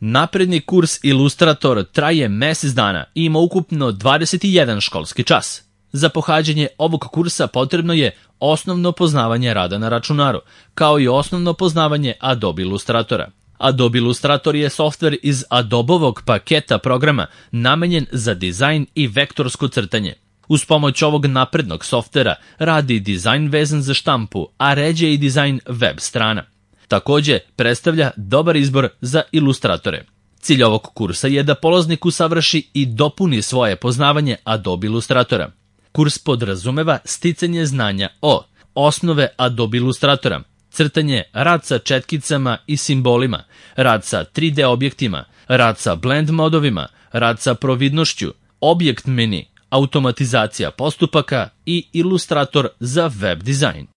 Napredni kurs Ilustrator traje mesec dana i ima ukupno 21 školski čas. Za pohađanje ovog kursa potrebno je osnovno poznavanje rada na računaru, kao i osnovno poznavanje Adobe Illustratora. Adobe Illustrator je softver iz Adobovog paketa programa namenjen za dizajn i vektorsko crtanje. Uz pomoć ovog naprednog softvera radi dizajn vezan za štampu, a ređe i dizajn web strana. Takođe, predstavlja dobar izbor za ilustratore. Cilj ovog kursa je da polaznik usavrši i dopuni svoje poznavanje Adobe Illustratora. Kurs podrazumeva sticanje znanja o osnove Adobe Illustratora, crtanje, rad sa četkicama i simbolima, rad sa 3D objektima, rad sa blend modovima, rad sa providnošću, objekt meni, automatizacija postupaka i ilustrator za web dizajn.